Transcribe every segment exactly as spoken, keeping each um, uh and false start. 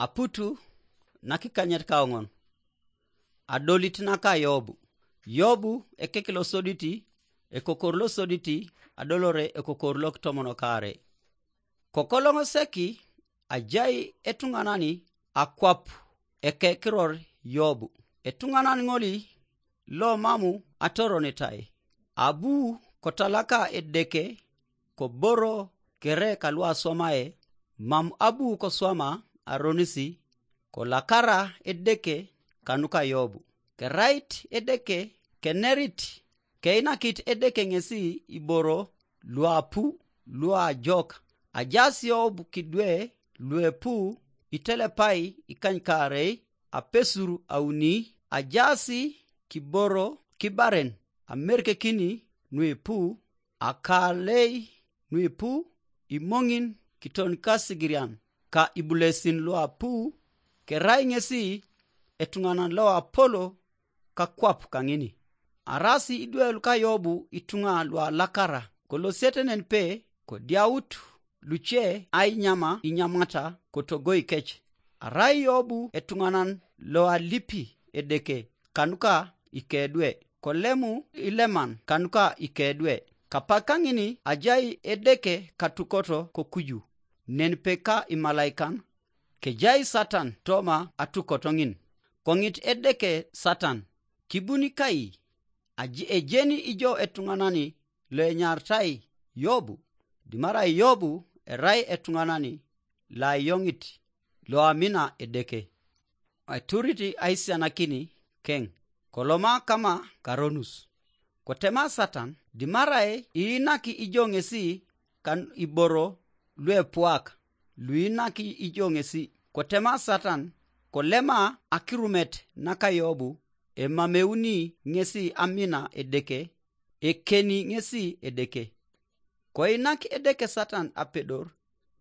Aputu nakikanyet kaoŋon. Adolit naka Yobu. Yobu ekek losoditi, ekokor losoditi, adolore ekokor lokitomon kare. Kokoloŋ seki ajai etuŋanani akwap ekekiror Yobu. Etuŋanan ŋoli lo mamu atoronitai. Abu kotalaka Edeke koboro kere kaluaswamae, mam abu koswama aronisi, kolakara Edeke kanuka Yobu. Kerait Edeke kenerit, keinakit Edeke ŋesi iboro luapu luajok. Ajaas Yobu kidwe luepu itelepai ikanykaarei apesur auni, ajaas kiboro kibaren amerkekini nuipu, akalei nuipu, imoŋin kiton kasigirian ka ibulesin luapu. Kerai ŋesi etuŋanan loapolo kakwap kaŋini. Arasi idwe luka Yobu ituŋa lualakara, kolosiete nen pe kodiaut luce ainyama inyamata kotogoi kec. Arai Yobu etuŋanan loalipi Edeke kanuka ikedwe, kolemu ileman kanuka ikedwe. Kapak kaŋini ajai Edeke katukoto kokuju, nen pe ka imalaikan, kejai Satan toma atukoto ŋin. Koŋit Edeke Satan, kibuni kai, aji ejeni ijo etuŋanani loenyartai Yobu? Dimarai Yobu erai etuŋanani loayoŋit loamina Edeke. Eturit aisianakini keŋ, koloma kama karonus. Kotema Satan, dimarai iinaki ijo ŋesi kan iboro luepuak luinaki ijo ŋesi. Kotema Satan, kolema akirumet naka Yobu, emameuni ŋesi amina Edeke, ekeni ŋesi Edeke. Koinak Edeke Satan apedor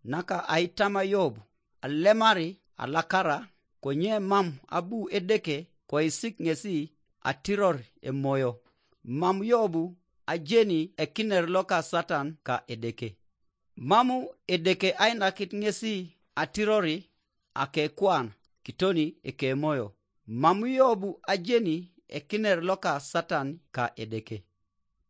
naka aitama Yobu, alemari alakara, konye mam abu Edeke koisik ŋesi atiror emoyo. Mam Yobu ajeni ekiner loka Satan ka Edeke. Mamu Edeke ainakit ŋesi atirori akekuan kitoni ekemoyo. Mam Yobu ajeni ekiner loka Satan ka Edeke.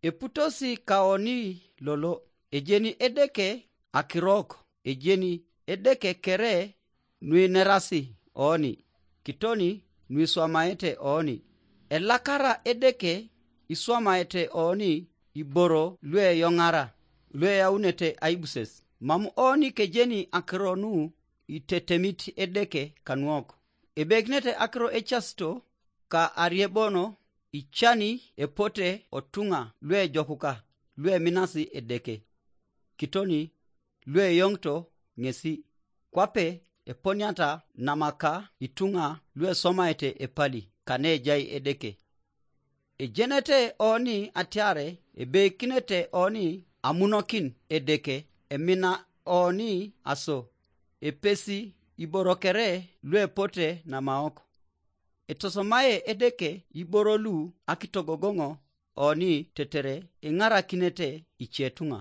Eputosi kaoni lolo, ejeni Edeke akirok, ejeni Edeke kere nuinerasi oni, kitoni nuiswamaete oni. Elakara Edeke iswamaete oni iboro lueyoŋara, lueyaunete aibuses. Mam oni kejeni akiro nu itetemit Edeke kanuok. Ebekinete akiro ecasito ka ariebono icani epote otuŋa luejokuka lueminasi Edeke, kitoni lueyoŋito ŋesi, kwape eponiata namaka ituŋa luesomaete epali kanejai Edeke. Ejenete oni atiare ebeikinete oni amunokin Edeke, emina oni aso, epesi iboro kere luepote namaok. Etosomae Edeke iboro lu akitogogoŋo oni tetere iŋarakinete icetuŋa.